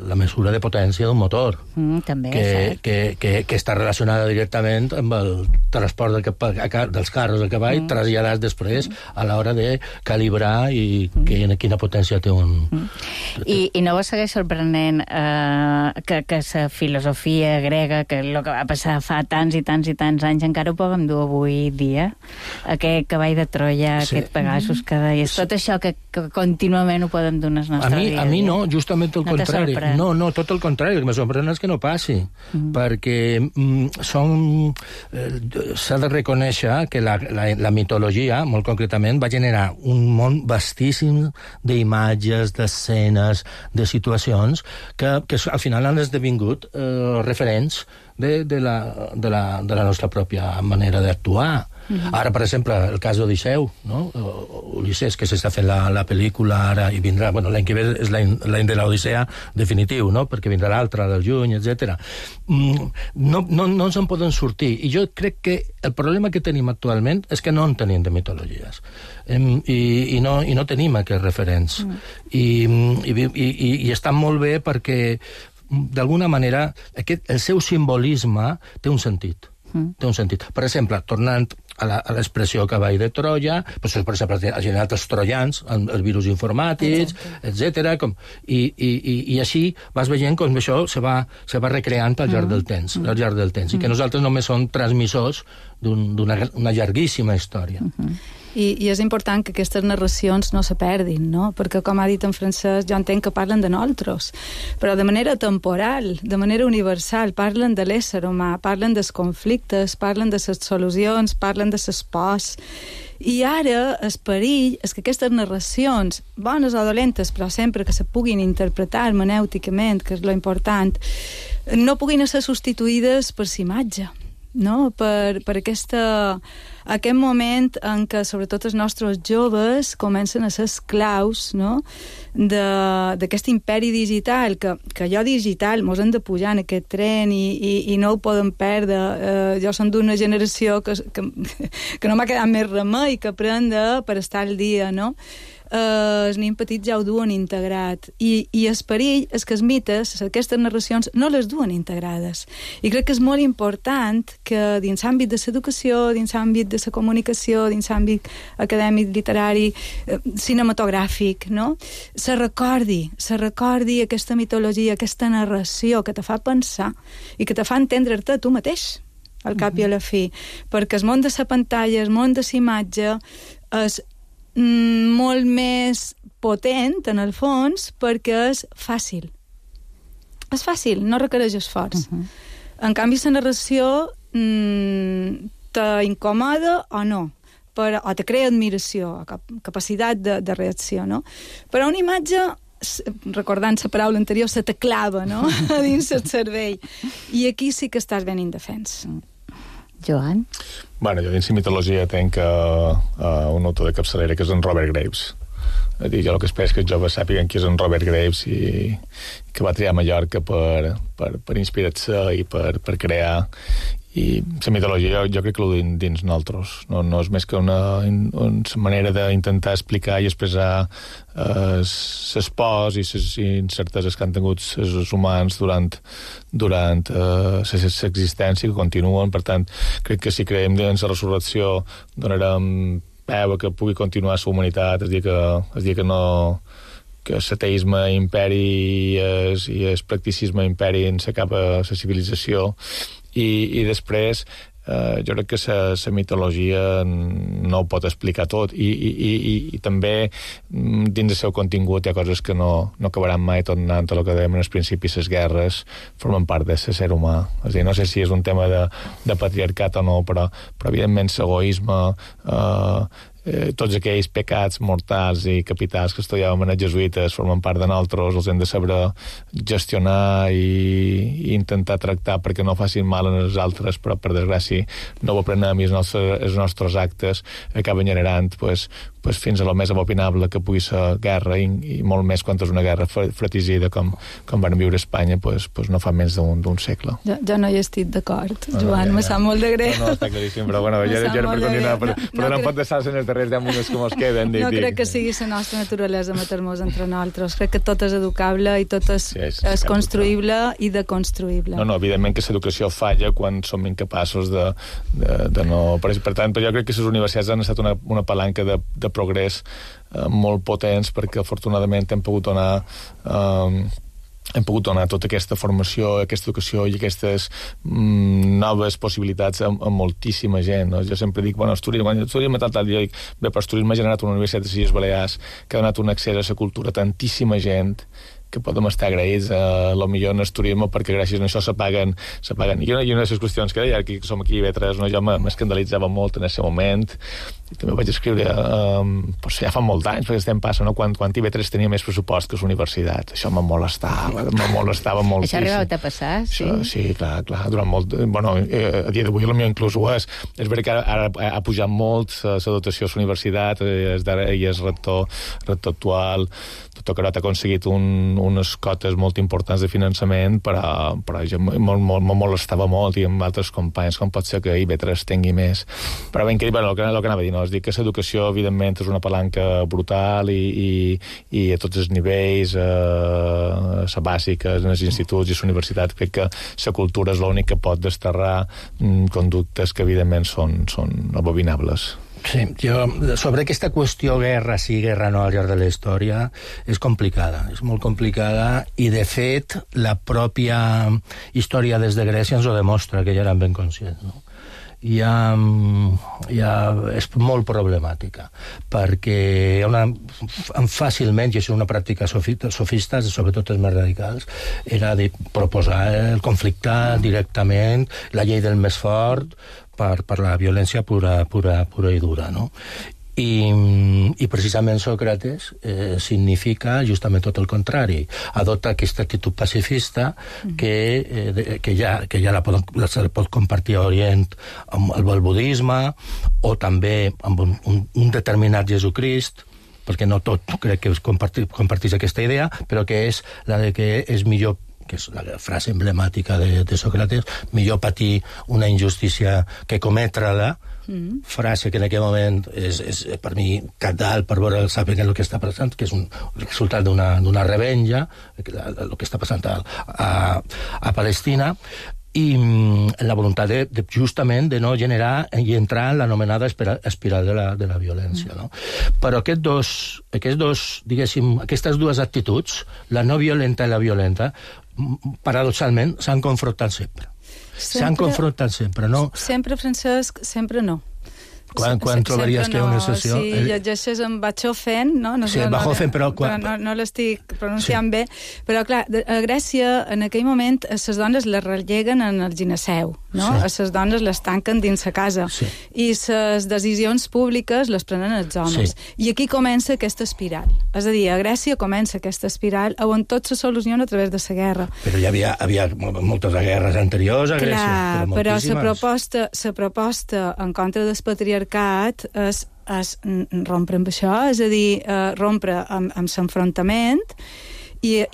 la mesura de potència d'un motor. També, que està relacionada directament amb el transport dels carros a cavall, traslladats després a l'hora de calibrar i quina potència té un... I no vos segueix sorprenent que la filosofia grega, que el que va passar fa tants i tants i tants anys, encara ho puguem dur avui dia? Aquest cavall de Troia, aquest Pegasus que deies, tot això que contínuament ho podem dur en el nostre dia. A mi no, justament el contrari. No, tot el contrari, el que me sorprèn és que no passi, perquè s'ha de reconèixer que la mitologia, molt concretament, va generar un món vastíssim d'imatges, d'escenes, de situacions que al final han esdevingut referents de la nostra pròpia manera d'actuar. Ara, per exemple, el cas d'Odisseu, no? Ulisses, que s'està fent la pel·lícula ara, i vindrà, l'any que ve és l'any de l'Odissea definitiu, no? Perquè vindrà l'altre del juny, etc. No se'n poden sortir, i jo crec que el problema que tenim actualment és que no en tenim de mitologies, i no tenim aquests referents, i estan molt bé perquè d'alguna manera el seu simbolisme té un sentit. Per exemple, tornant a l'expressió cavall de Troia, per exemple, ha generat els troians, els virus informàtics, etc. I així vas veient com això se va recreant al llarg del temps, i que nosaltres només som transmissors d'una llarguíssima història. I és important que aquestes narracions no se perdin, no? Perquè, com ha dit en Francesc, jo entenc que parlen de nosaltres, però de manera temporal, de manera universal, parlen de l'ésser humà, parlen dels conflictes, parlen de les solucions, parlen de les pors. I ara el perill és que aquestes narracions, bones o dolentes, però sempre que se puguin interpretar hermenèuticament, que és lo important, no puguin ser substituïdes per l'imatge, no? Per aquest moment en què sobretot els nostres joves comencen a ser esclaus, no? D'aquest imperi digital, que allò digital mos hem de pujar en aquest tren i no ho podem perdre. Jo som d'una generació que no m'ha quedat més remei que aprendre per estar al dia, no? Els nens petits ja ho duen integrat i el perill és que els mites, aquestes narracions, no les duen integrades. I crec que és molt important que dins l'àmbit de l'educació, dins l'àmbit de la comunicació, dins l'àmbit acadèmic, literari, cinematogràfic, no? Se recordi aquesta mitologia, aquesta narració que te fa pensar i que te fa entendre-te tu mateix, al cap i a la fi. Perquè el món de la pantalla, el món de la imatge és molt més potent, en el fons, perquè és fàcil. És fàcil, no requereix esforç. En canvi, la narració t'incomoda o no, o te crea admiració, capacitat de reacció, no? Però una imatge, recordant la paraula anterior, se te clava, no?, a dins el cervell. I aquí sí que estàs ben indefens. Joan? Bueno, jo dins la mitologia tenc un autor de capçalera que és en Robert Graves. Jo el que espero és que els joves sàpiguen qui és en Robert Graves i que va triar Mallorca per inspirar-se i per crear. I la mitologia jo crec que ho dins nosaltres. No és més que una manera d'intentar explicar i expressar les pors i les incerteses que han tingut els humans durant l'existència, que continuen. Per tant, crec que si creiem en la resurrecció donarem peu a que pugui continuar la humanitat, és dir que no, que l'ateisme imperi i el practicisme imperi en la cap a la civilització. I després jo crec que la mitologia no ho pot explicar tot i també dins del seu contingut hi ha coses que no acabaran mai tornant a el que dèiem en els principis. Les guerres formen part de ser humà. És a dir, no sé si és un tema de patriarcat o no, però evidentment l'egoisme, tots aquells pecats mortals i capitals que estudiàvem en els jesuïtes formen part de nosaltres, els hem de saber gestionar i intentar tractar perquè no facin mal a els altres, però per desgràcia no ho aprenem i els nostres actes acaben generant fins a lo més abominable que pugui ser guerra i molt més quan és una guerra fratricida com van viure a Espanya no fa menys d'un segle. Jo no hi estic d'acord, Joan, me sap molt de greu. No, està claríssim, però bueno, ja era per continuar, però no pot deixar-se en els darrers 10 minuts que mos queden. No crec que sigui la nostra naturalesa matar-nos entre nosaltres. Crec que tot és educable i tot és construïble i deconstruïble. No, evidentment que l'educació falla quan som incapaços de no... Per tant, jo crec que les universitats han estat una palanca de progrés molt potents perquè afortunadament hem pogut donar tota aquesta formació, aquesta educació i aquestes noves possibilitats a moltíssima gent. No? Jo sempre dic, quan estudiem a tal dia, però el turisme ha generat una universitat de Illes Balears que ha donat un accés a la cultura a tantíssima gent que podem estar agraïts lo millor en el turisme perquè gràcies a això se paguen. I una de les qüestions que deia, que som aquí a IB3, jo m'escandalitzava molt en aquest moment, i també vaig escriure ja fa molt d'anys, perquè estem passant, quan IB3 tenia més pressupost que les universitats. Això me molestava moltíssim. Això ha arribat a passar, sí? Sí, clar, durant molt... Bueno, a dia d'avui potser inclús ho és. És veritat que ara ha pujat molt la dotació a la universitat, i el rector actual, Doctor Carot ha aconseguit unes cotes molt importants de finançament, però jo me molestava molt i amb altres companys, com pot ser que IB3 tingui més. Però ben que el que anava a dir, és dir que l'educació, evidentment, és una palanca brutal i a tots els nivells, la bàsica, en els instituts i les universitats, crec que la cultura és l'únic que pot desterrar conductes que, evidentment, són abominables. Sí, sobre aquesta qüestió guerra sí, guerra no al llarg de la història és complicada, és molt complicada i de fet la pròpia història des de Grècia ens ho demostra, que ja eren ben conscients, no? ja és molt problemàtica, perquè fàcilment, i això és una pràctica sofista, sobretot els més radicals, era de proposar el conflicte directament, la llei del més fort, per la violència pura i dura, no? I precisament Sòcrates significa justament tot el contrari. Adopta aquesta actitud pacifista que ja la pot compartir a Orient amb el budisme o també amb un determinat Jesucrist, perquè no tot crec que compartís aquesta idea, però que és la de que és millor, que és la frase emblemàtica de Sòcrates, millor patir una injustícia que cometre-la, frase que en aquell moment és per mi cabdal per veure saber el que està passant, que és un resultat d'una revenja, el que està passant a Palestina, i la voluntat justament de no generar i entrar en l'anomenada espiral de la violència, no? Però aquestes dues actituds, la no violenta i la violenta, paradoxalment s'han confrontat sempre. S'han confrontat sempre, no? Sempre, Francesc, sempre no. Quan trobaries que hi ha una excepció? Sí, llegeixes en Bachofen, no? Sí, Bachofen, però... No l'estic pronunciant bé, però clar, a Grècia, en aquell moment, a les dones les relleguen en el gineceu, no? A les dones les tanquen dins la casa, i les decisions públiques les prenen els homes. I aquí comença aquesta espiral. És a dir, a Grècia comença aquesta espiral on tot se soluciona a través de la guerra. Però hi havia moltes guerres anteriors a Grècia. Clar, però la proposta en contra del patriarcat és rompre amb això, és a dir, rompre amb l'enfrontament i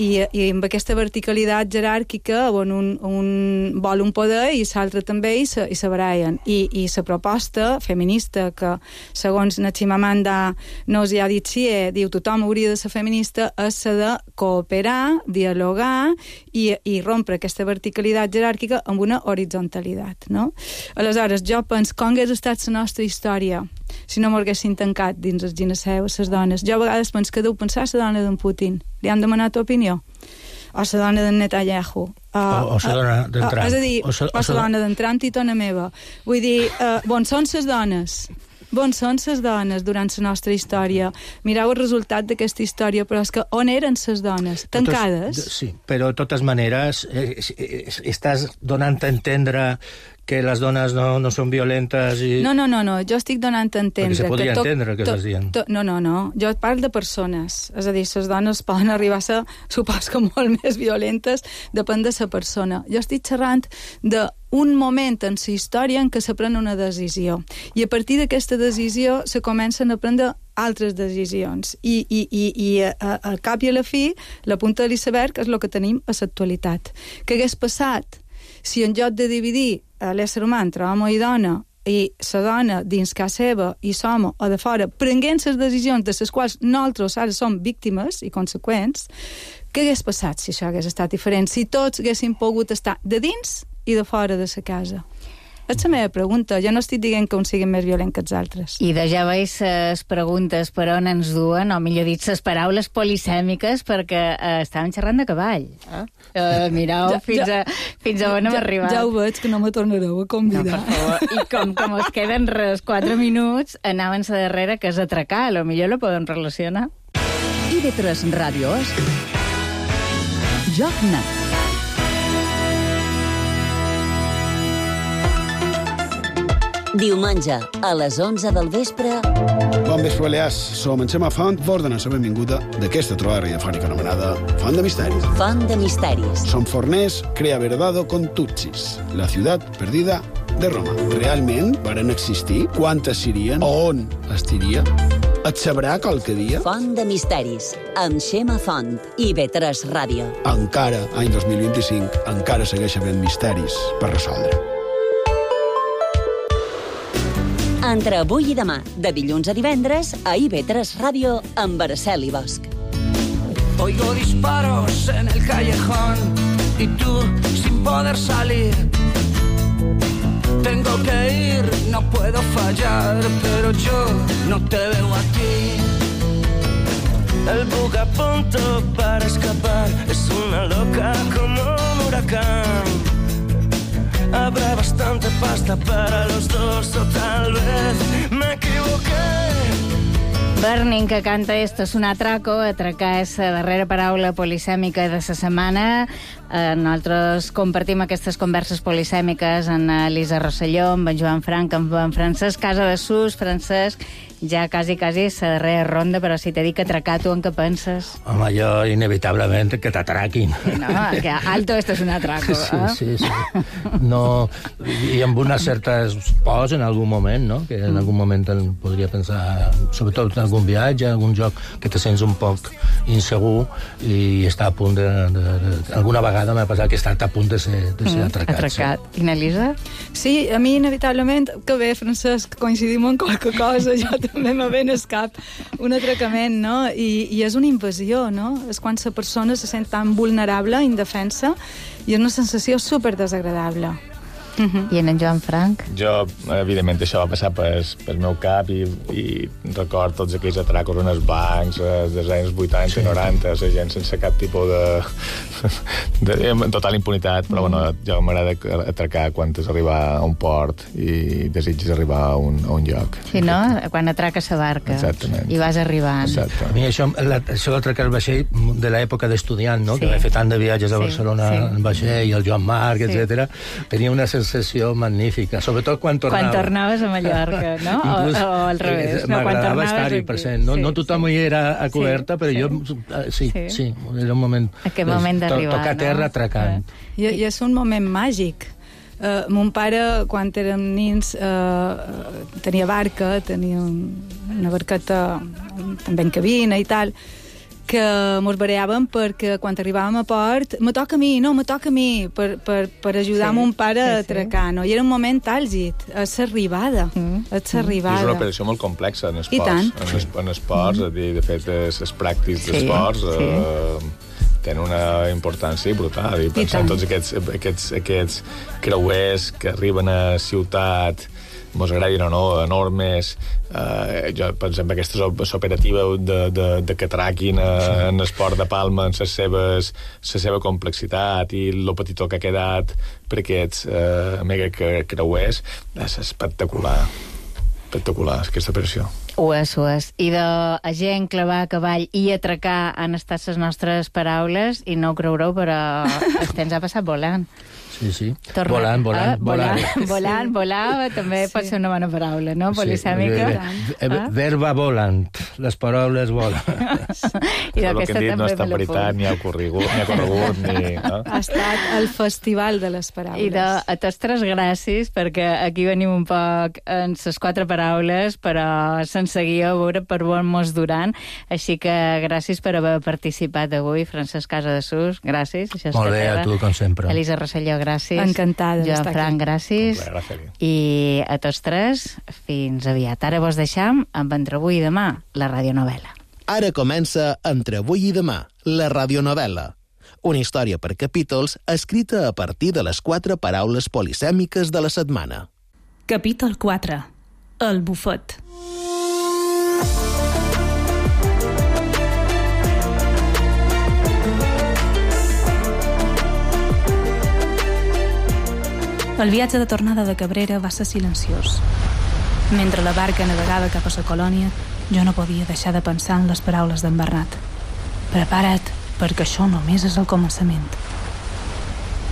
amb aquesta verticalitat jeràrquica on un vol un poder i l'altre també i se barallen. I la proposta feminista que, segons na Chimamanda Ngozi Adichie, diu tothom hauria de ser feminista, és la de cooperar, dialogar i rompre aquesta verticalitat jeràrquica amb una horizontalitat, no? Aleshores, jo penso, com hagués estat la nostra història si no m'haguessin tancat dins el gineceu les dones? Jo a vegades penso que deu pensar la dona d'en Putin. Li han demanat opinió? O la dona d'en Netanyahu? O la dona d'en Trump? És a dir, o la dona d'en Trump i tona meva. Vull dir, on són les dones? On són les dones durant la nostra història? Mireu el resultat d'aquesta història, però és que on eren les dones? Tancades? Sí, però de totes maneres estàs donant a entendre que les dones no són violentes i... No, jo estic donant a entendre... Perquè se podria entendre que estàs dient. No, jo parlo de persones, és a dir, les dones poden arribar a ser, supos que molt més violentes, depèn de la persona. Jo estic xerrant d'un moment en la història en què se pren una decisió, i a partir d'aquesta decisió se comencen a prendre altres decisions, i al cap i a la fi, la punta de l'iceberg és el que tenim a l'actualitat. Què hagués passat si en lloc de dividir l'ésser humà entre home i dona, i la dona dins casa seva i l'home o de fora, prenguent les decisions de les quals nosaltres ara som víctimes i conseqüents, què hagués passat si això hagués estat diferent? Si tots haguéssim pogut estar de dins i de fora de la casa? És la meva pregunta. Jo no estic dient que uns siguin més violents que els altres. I ja veus les preguntes per on ens duen, o millor dit, les paraules polisèmiques, perquè estàvem xerrant de cavall. Mireu fins a on hem arribat. Ja ho veig, que no me tornareu a convidar. No, per favor. I com us queden res 4 minuts, anaven a darrere, que és atracar. A lo millor la podem relacionar. IB3 Ràdios Joc Net. Diumenge, a les 11 del vespre... Bon vespre, Balears. Som en Xema Font, vos donem la benvinguda d'aquesta trobada radiofònica anomenada Font de Misteris. Font de Misteris. Som forners, crea verdado con tutsis, la ciutat perdida de Roma. Realment varen existir? Quantes serien? On estiria? Et sabrà qualque dia? Font de Misteris, amb Xema Font, IB3 Ràdio. Encara, any 2025, encara segueix havent misteris per resoldre. Entre avui i demà, de dilluns a divendres, a IB3 Ràdio, amb Araceli Bosch. Oigo disparos en el callejón y tú sin poder salir. Tengo que ir, no puedo fallar, pero yo no te veo a ti. El bug a punto para escapar es una loca como un huracán. habrá bastante pasta para los dos o tal vez me equivoqué. Burning, que canta Esto es un atraco. Atracar és la darrera paraula polisèmica de la setmana. Nosaltres compartim aquestes converses polisèmiques amb Elisa Rosselló, amb en Joan Frank, amb en Francesc Casadesús. Francesc, ja quasi la darrera ronda, però si t'he dit que atracar, tu en què penses? Home, jo inevitablement que t'atraquin. No, que alto esto es un atraco. Sí. No, i amb unes certes pors en algun moment, no? Que en algun moment podria pensar, sobretot en algun viatge, en algun joc que te sents un poc insegur i està a punt de alguna vegada m'ha passat que he estat a punt de ser atracat. Sí. I n'Elisa? Sí, a mi inevitablement, que bé, Francesc, coincidim en qualque cosa, jo també me ve al cap un atracament, no? I és una invasió, no? És quan la persona se sent tan vulnerable, indefensa, i és una sensació super desagradable. I en Joan Frank? Jo, evidentment, això va passar pel meu cap i record tots aquells atracos en els bancs dels anys 80 i 90, la gent sense cap tipus de total impunitat, però bueno, jo m'agrada atracar quan has arribar a un port i desitges arribar a un lloc. Sí, no? Quan atraques la barca. Exactament. I vas arribant. Exacte. A mi això d'atracar el vaixell de l'època d'estudiant, no? Que vaig fer tant de viatges a Barcelona en vaixell, i el Joan Marc, etc. Tenia una sensació magnífica, sobretot quan tornava. Quan tornaves a Mallorca, no? O al revés. M'agradava estar-hi present. No tothom hi era a coberta, però jo sí, era un moment... Aquest moment d'arribar, tocar terra atracant. I és un moment màgic. Mon pare, quan érem nins, tenia barca, tenia una barqueta també en cabina i tal, que mos bareàvem perquè quan arribàvem a port me toca a mi per ajudar mon pare a atracar, no? I era un moment àlgid, és l'arribada. És una operació molt complexa en esports. En esports, de fet, els pràctics d'esports tenen una importància brutal. I pensar en tots aquests creuers que arriben a ciutat, mos agradin o no, enormes. Jo pensem en aquesta operativa de que atraquin en l'esport de Palma en la seva complexitat i el petitó que ha quedat per aquests mega creuers. És espectacular aquesta operació. Ho és. I de gent clavar a cavall i atracar han estat les nostres paraules i no ho creureu, però el temps ha passat volant. Sí. Volant. Volar també pot ser una bona paraula, no? Polisèmica. Verba volant. Les paraules volen. I el que hem dit no està veritat, ni ha corregut, ni... Ha estat el festival de les paraules. I a tots tres gràcies, perquè aquí venim un poc en les 4 paraules, però sense guió, a veure per on mos duran. Així que gràcies per haver participat avui. Francesc Casadesús, gràcies. Molt bé, a tu, com sempre. Elisa Rosselló, gràcies. Encantada d'estar aquí. Joan Frank, gràcies. I a tots tres, fins aviat. Ara vos deixam amb Entre avui i demà, la radionovel·la. Ara comença Entre avui i demà, la radionovel·la. Una història per capítols escrita a partir de les 4 paraules polisèmiques de la setmana. Capítol 4. El bufet. El viatge de tornada de Cabrera va ser silenciós. Mentre la barca navegava cap a la colònia, jo no podia deixar de pensar en les paraules d'en Bernat. Prepara't, perquè això només és el començament.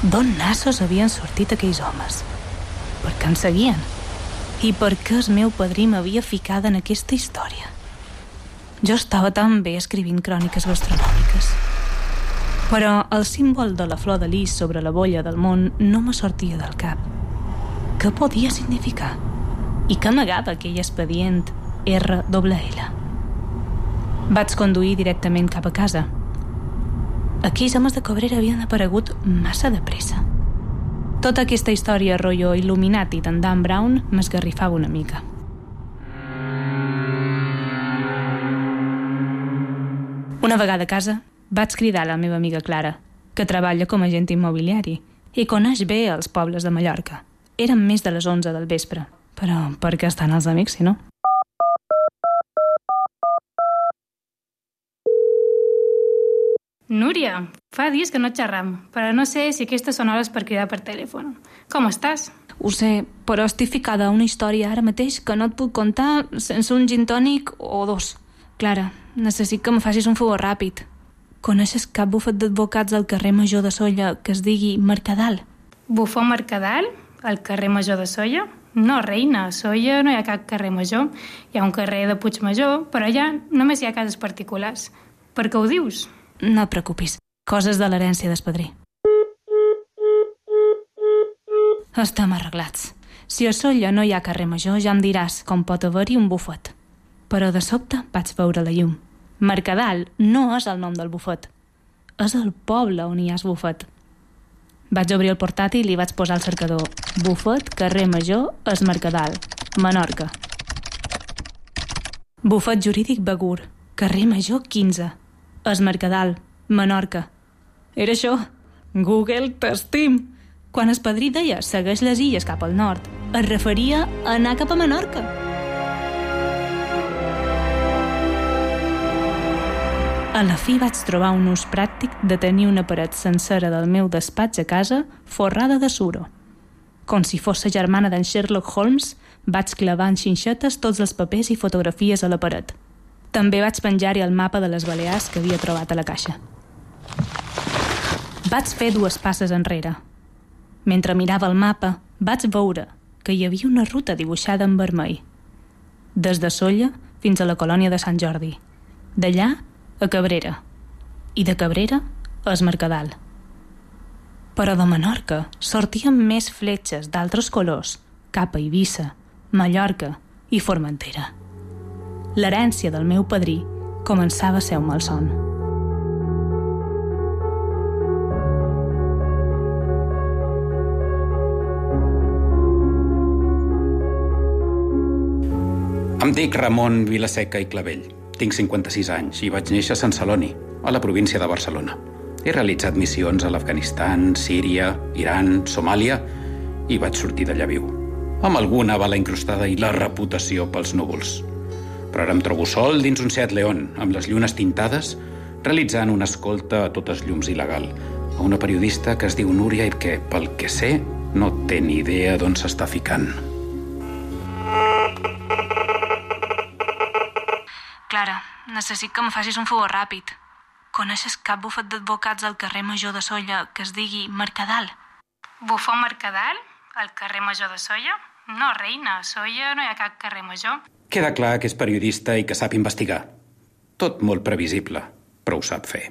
D'on nassos havien sortit aquells homes? Per què en seguien? I per què el meu padrí m'havia ficada en aquesta història? Jo estava tan bé escrivint cròniques gastronòmiques. Però el símbol de la flor de lis sobre la bolla del món no me sortia del cap. Què podia significar? I què amagava aquell expedient RLL? Vaig conduir directament cap a casa. Aquells homes de Cabrera havien aparegut massa de pressa. Tota aquesta història rotllo Illuminati d'en Dan Brown m'esgarrifava una mica. Una vegada a casa, vaig cridar a la meva amiga Clara, que treballa com a agent immobiliari i coneix bé els pobles de Mallorca. Eren més de les 11 del vespre, però per què estan els amics, si no? Núria, fa dies que no xerram, però no sé si aquestes són hores per cridar per telèfon. Com estàs? Ho sé, però estic ficada a una història ara mateix que no et puc contar sense un gin tònic o dos. Clara, necessit que em facis un favor ràpid. Coneixes cap bufet d'advocats al carrer Major de Sóller que es digui Mercadal? Bufó Mercadal? Al carrer Major de Sóller? No, reina, a Sóller no hi ha cap carrer major. Hi ha un carrer de Puigmajor, però allà només hi ha cases particulars. Per què ho dius? No et preocupis, coses de l'herència d'espadrí. Estem arreglats. Si a Sóller no hi ha carrer major, ja em diràs com pot haver-hi un bufet. Però de sobte vaig veure la llum. Mercadal no és el nom del bufet. És el poble on hi ha el bufet. Vaig obrir el portàtil i vaig posar al cercador Bufet, carrer Major, es Mercadal, Menorca. Bufet jurídic Begur, carrer Major 15, es Mercadal, Menorca. Era això. Google t'estim. Quan Espadrí deia segueix les illes cap al nord, es referia a anar cap a Menorca. A la fi vaig trobar un ús pràctic de tenir una paret sencera del meu despatx a casa forrada de suro. Com si fos la germana d'en Sherlock Holmes, vaig clavar en xinxetes tots els papers i fotografies a la paret. També vaig penjar-hi el mapa de les Balears que havia trobat a la caixa. Vaig fer 2 passes enrere. Mentre mirava el mapa, vaig veure que hi havia una ruta dibuixada en vermell. Des de Sóller fins a la colònia de Sant Jordi. D'allà a Cabrera, i de Cabrera a es Mercadal. Però de Menorca sortien més fletxes d'altres colors cap a Eivissa, Mallorca i Formentera. L'herència del meu padrí començava a ser un malson. Em dic Ramon Vilaseca i Clavell. Tinc 56 anys i vaig néixer a Sant Celoni, a la província de Barcelona. He realitzat missions a l'Afganistan, Síria, Iran, Somàlia i vaig sortir d'allà viu. Amb alguna bala incrustada i la reputació pels núvols. Però ara em trobo sol dins un Seat León, amb les llunes tintades, realitzant una escolta a totes llums il·legal, a una periodista que es diu Núria i que, pel que sé, no té ni idea d'on s'està ficant. Clara, necessit que em facis un favor ràpid. Coneixes cap bufet d'advocats al carrer Major de Sóller que es digui Mercadal? Bufó Mercadal? Al carrer Major de Sóller? No, reina, a Sóller no hi ha cap carrer major. Queda clar que és periodista i que sap investigar. Tot molt previsible, però ho sap fer.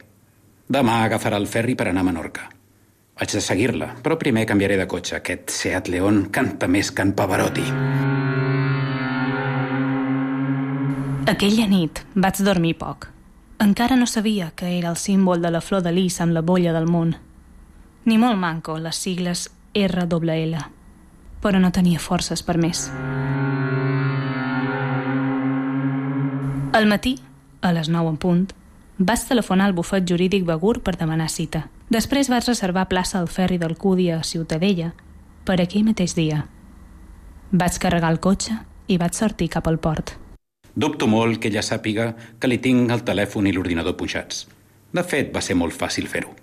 Demà agafarà el ferri per anar a Menorca. Haig de seguir-la, però primer canviaré de cotxe. Aquest Seat León canta més que en Pavarotti. Aquella nit vaig dormir poc. Encara no sabia que era el símbol de la flor de lis amb la bolla del món. Ni molt manco les sigles RLL, però no tenia forces per més. Al matí, a les 9 en punt, vaig telefonar al bufet jurídic Begur per demanar cita. Després vaig reservar plaça al ferri del Cudi a Ciutadella per aquell mateix dia. Vaig carregar el cotxe i vaig sortir cap al port. Dubto molt que ella sàpiga que li tinc el telèfon i l'ordinador pujats. De fet, va ser molt fàcil fer-ho.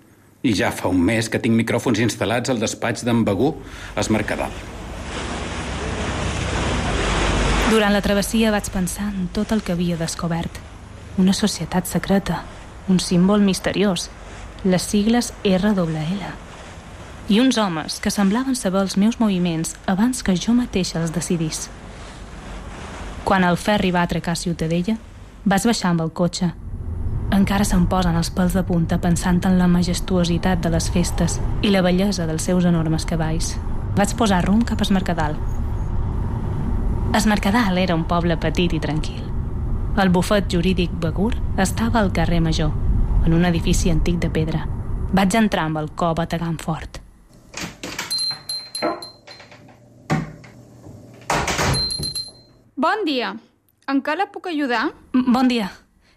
I ja fa un mes que tinc micròfons instal·lats al despatx d'en Begur, es Mercadal. Durant la travessia vaig pensar en tot el que havia descobert. Una societat secreta, un símbol misteriós, les sigles RLL. I uns homes que semblaven saber els meus moviments abans que jo mateixa els decidís. Quan el ferri va atracar a Ciutadella, vaig baixar amb el cotxe. Encara se'm posen els pèls de punta pensant en la majestuositat de les festes i la bellesa dels seus enormes cavalls. Vaig posar rumb cap a es Mercadal. Es Mercadal era un poble petit i tranquil. El bufet jurídic Begur estava al carrer Major, en un edifici antic de pedra. Vaig entrar amb el cor bategant fort. Bon dia. En què la puc ajudar? Bon dia.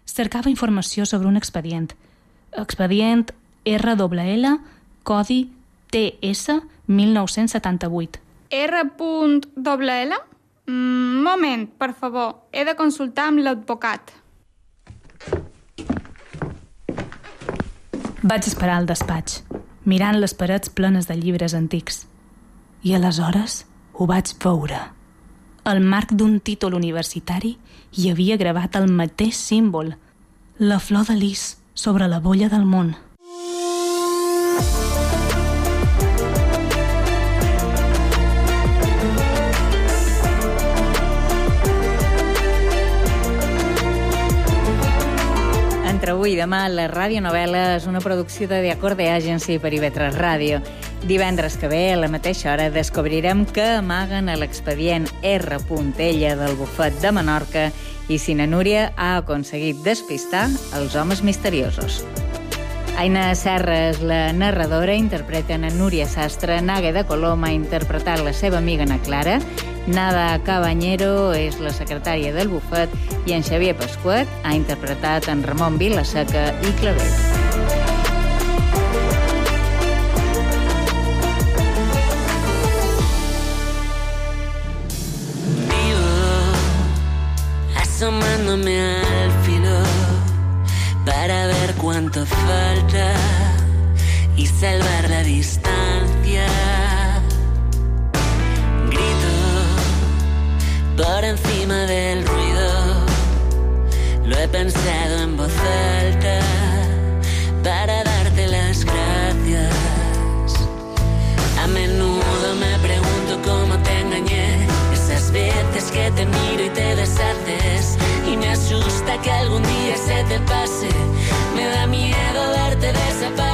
Cercava informació sobre un expedient. Expedient RLL, codi TS 1978. R.LL? Moment, per favor. He de consultar amb l'advocat. Vaig esperar al despatx, mirant les parets plenes de llibres antics. I aleshores ho vaig veure. Al marc d'un títol universitari hi havia gravat el mateix símbol, la flor de lis sobre la bolla del món. Entre avui i demà, la radionovel·la és una producció de The Acorde Agency per IB3 Ràdio. Divendres que ve, a la mateixa hora, descobrirem què amaguen a l'expedient R. Ella del bufet de Menorca i si na Núria ha aconseguit despistar els homes misteriosos. Aina Serra és la narradora, interpreten a Núria Sastre, Nágueda Colom ha interpretat la seva amiga Ana Clara, Nada Cabanyero és la secretària del bufet i en Xavier Pasquet ha interpretat en Ramon Vilaseca i Clavell. Asomándome al filo para ver cuánto falta y salvar la distancia. Grito por encima del ruido, lo he pensado en voz alta para darte las gracias. A menudo me pregunto cómo te engañé, esas veces que te miro y te deshaces, y me asusta que algún día se te pase, me da miedo verte desaparecer.